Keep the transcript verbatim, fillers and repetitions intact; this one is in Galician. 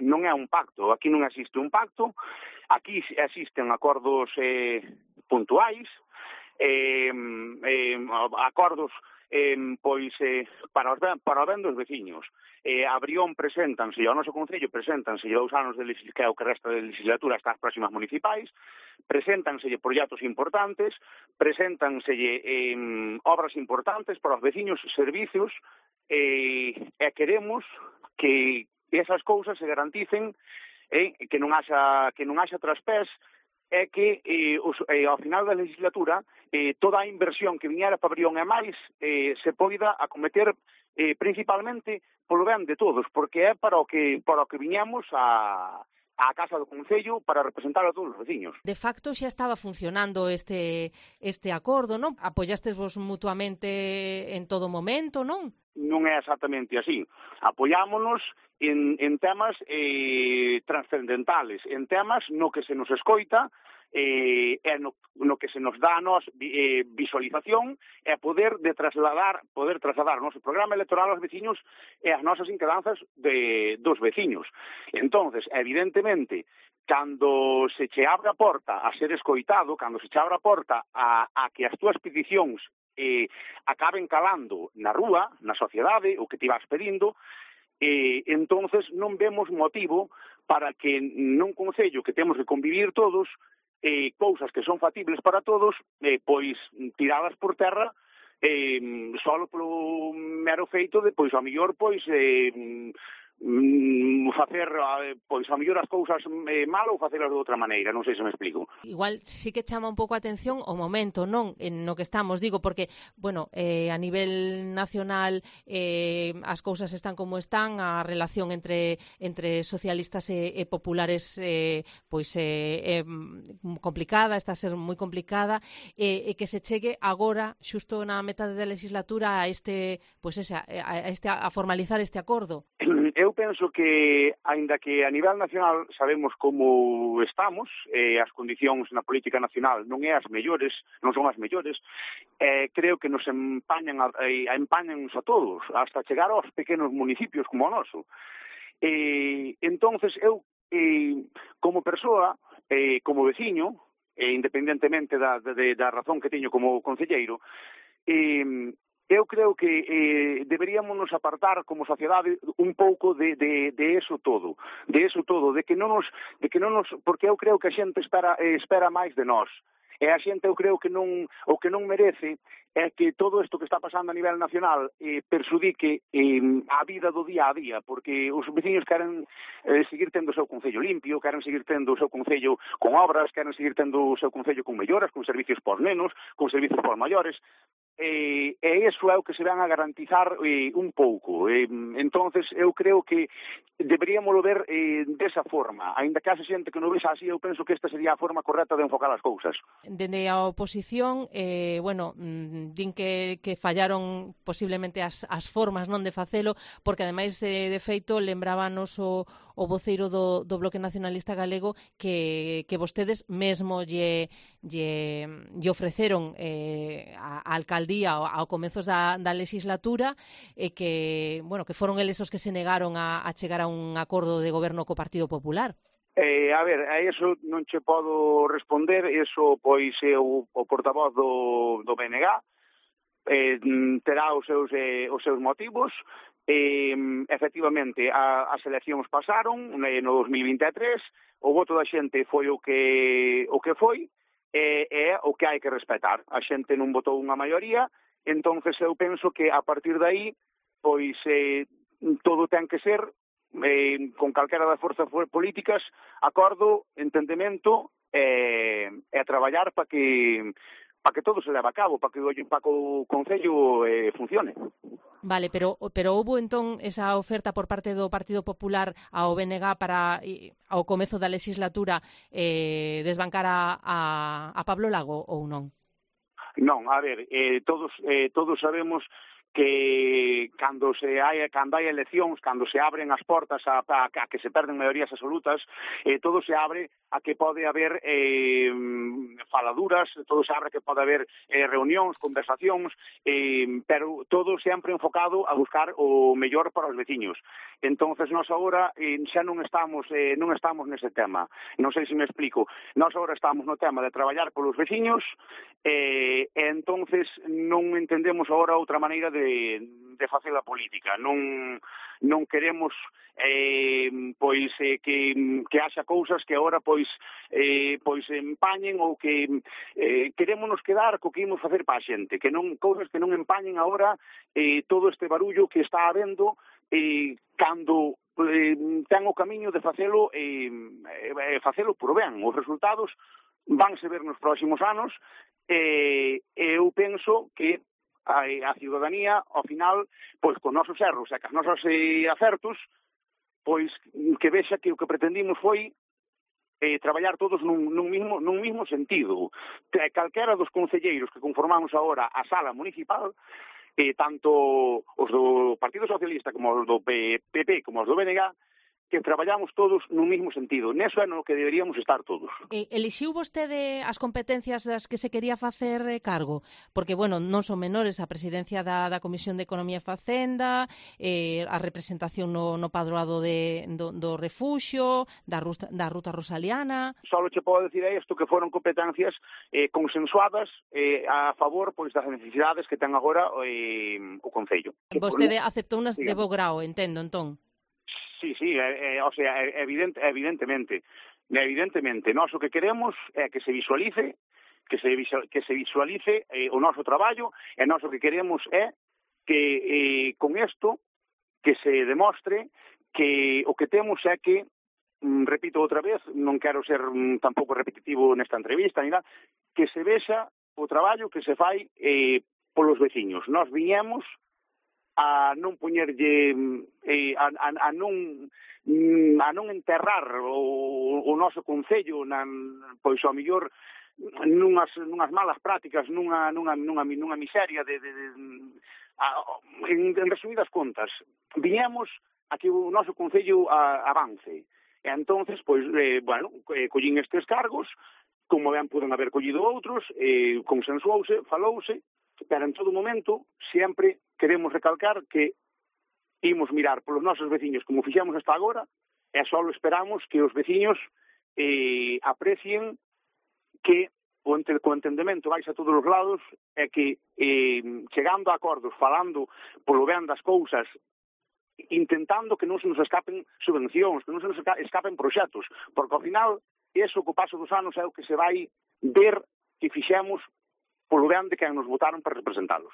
non é un pacto, aquí non existe un pacto, aquí existen acordos eh, puntuais, eh, eh, acordos eh, pois eh, para, os ben, para o ben dos veciños. Eh, a Brión preséntanse, ao noso Concello preséntanse dous anos de legislatura, que é o que resta de legislatura hasta as próximas municipais, preséntanselle proxectos importantes, preséntanselle eh, obras importantes para os veciños, servicios, eh, e queremos que esas cousas se garanticen, eh, que non haxa que non haxa traspés, é que eh, os, eh, ao final da legislatura eh, toda a inversión que viñera para Brión e máis eh, se poida acometer eh, principalmente polo ben de todos, porque é para o que para o que viñamos a á Casa do Concello para representar a todos os veciños. De facto xa estaba funcionando este este acordo, non? Apoiastes vos mutuamente en todo momento, non? Non é exactamente así. Apoiámonos en, en temas eh, trascendentales, en temas no que se nos escoita, eh, e no, no que se nos dá a nos eh, visualización e poder de trasladar, poder trasladar o noso programa electoral aos veciños e as nosas inquedanzas de, dos veciños. Entonces, evidentemente, cando se che abre a porta a ser escoitado, cando se che abre a porta a, a que as túas peticións eh, acaben calando na rúa, na sociedade, o que te vas pedindo, eh, entonces non vemos motivo para que nun concello que temos que convivir todos, eh, cousas que son factibles para todos, eh, pois tiradas por terra, eh, só polo mero feito de, pois, a mellor, pois, eh, mm, facer, pois, a mellor as cousas eh, mal ou facelas de outra maneira, non sei se me explico. Igual sí que chama un pouco a atención o momento, non? En no que estamos, digo, porque, bueno, eh, a nivel nacional eh, as cousas están como están, a relación entre entre socialistas e, e populares eh, pois é eh, eh, complicada, está a ser moi complicada, e eh, eh, que se chegue agora, xusto na metade da legislatura, a este, pois esa, a, este, a formalizar este acordo. Eu penso que, aínda que a nivel nacional sabemos como estamos, eh, as condicións na política nacional non é as mellores, non son as mellores, eh, creo que nos empañan a, a empañanos a todos, hasta chegar aos pequenos municipios como o noso. Eh, entonces, eu, eh, como persoa, eh, como veciño, eh, independentemente da, de, da razón que teño como concelleiro, eh, eu creo que eh, deberíamos nos apartar como sociedade un pouco de, de, de eso todo, de eso todo, de que non nos, de que non nos, porque eu creo que a xente espera, eh, espera máis de nós. E a xente eu creo que non, o que non merece é que todo isto que está pasando a nivel nacional eh, persudique eh, a vida do día a día, porque os veciños queren eh, seguir tendo o seu concello limpio, queren seguir tendo o seu concello con obras, queren seguir tendo o seu concello con melloras, con servicios por nenos, con servicios por maiores, e, e iso é o que se van a garantizar eh, un pouco. Eh, entonces eu creo que deberíamos ver eh, desa forma, aínda que haxe xente que non vexa así, eu penso que esta sería a forma correcta de enfocar as cousas. Dende a oposición, eh, bueno, din que, que fallaron posiblemente as, as formas non de facelo, porque ademais de, de feito lembrabanos o, o voceiro do, do Bloque Nacionalista Galego que, que vostedes mesmo lle, lle, lle ofreceron eh, a, a alcaldía ao, ao comezos da, da legislatura e que, bueno, que foron eles os que se negaron a, a chegar a un acordo de goberno co Partido Popular. Eh, a ver, a iso non che podo responder, iso pois é o, o portavoz do, do B N G, eh, terá os seus, eh, os seus motivos. Eh, efectivamente, a, as eleccións pasaron eh, no dos mil vinte e tres, o voto da xente foi o que o que foi, e eh, é o que hai que respetar. A xente non votou unha maioría, entonces eu penso que a partir de aí, pois eh, todo ten que ser eh, con calquera das forzas políticas, acordo, entendemento e, e traballar para que para que todo se leve a cabo, para que, para que o Concello eh, funcione. Vale, pero pero houbo entón esa oferta por parte do Partido Popular ao B N G para ao comezo da legislatura eh, desbancar a, a, a Pablo Lago ou non? Non, a ver, eh, todos eh, todos sabemos que cando se hai cando hai eleccións, cando se abren as portas a, a, a que se perden maiorías absolutas, eh, todo se abre a que pode haber eh, faladuras, todo se abre a que pode haber eh, reunións, conversacións, eh, pero todo sempre enfocado a buscar o mellor para os veciños. Entonces nós agora eh, xa non estamos eh, non estamos nese tema. Non sei se me explico. Nós agora estamos no tema de traballar polos veciños eh, e entonces non entendemos agora outra maneira de de facer a política. Non non queremos eh, pois eh, que que haxa cousas que agora pois eh, pois empañen ou que eh, querémonos quedar co que imos facer para a xente, que non cousas que non empañen agora eh, todo este barullo que está habendo eh, cando eh, ten o camiño de facelo e eh, facelo por ben. Os resultados vanse ver nos próximos anos e eh, eu penso que a, a ciudadanía, ao final, pois con nosos erros e con nosos eh, acertos, pois que vexa que o que pretendimos foi eh, traballar todos nun, nun, mismo, nun mismo sentido. Calquera dos concelleiros que conformamos agora a sala municipal, eh, tanto os do Partido Socialista como os do P P como os do B N G, que traballamos todos nun mismo sentido. Neso é no que deberíamos estar todos. E, elixiu vostede as competencias das que se quería facer cargo? Porque, bueno, non son menores a presidencia da, da Comisión de Economía e Facenda, eh, a representación no, no padroado de, do, do refuxio, da ruta, da ruta rosaliana... Solo che podo decir isto que foron competencias eh, consensuadas eh, a favor pois das necesidades que ten agora eh, o Concello. Vostede aceptou unas de bo grao, entendo, entón? Sí, sí, eh, eh, o sea, evidente, evidentemente, evidentemente, nós o que queremos é que se visualice, que se visual, que se visualice eh, o noso traballo, e nós o que queremos é que eh, con isto que se demostre que o que temos é que, mm, repito outra vez, non quero ser mm, tampouco repetitivo nesta entrevista, ni nada, que se vexa o traballo que se fai eh, polos veciños. Nós viñemos a non poñerlle eh, a, a, a non a non enterrar o, o noso concello nan, pois ao mellor nunhas, nunhas malas prácticas, nunha, nunha, nunha, nunha miseria de, de, de a, en, en resumidas contas, viñemos a que o noso concello a, avance. E entonces, pois, eh, bueno, eh, collín estes cargos, como ben poden haber collido outros, eh, consensuouse, falouse, pero en todo momento sempre queremos recalcar que imos mirar polos nosos veciños como fixemos hasta agora e só esperamos que os veciños eh, aprecien que o, ente, o entendemento vais a todos os lados e que eh, chegando a acordos, falando polo ben das cousas, intentando que non se nos escapen subvencións, que non se nos escapen proxectos, porque ao final, eso co paso dos anos é o que se vai ver que fixemos polo ben de quen nos votaron para representalos.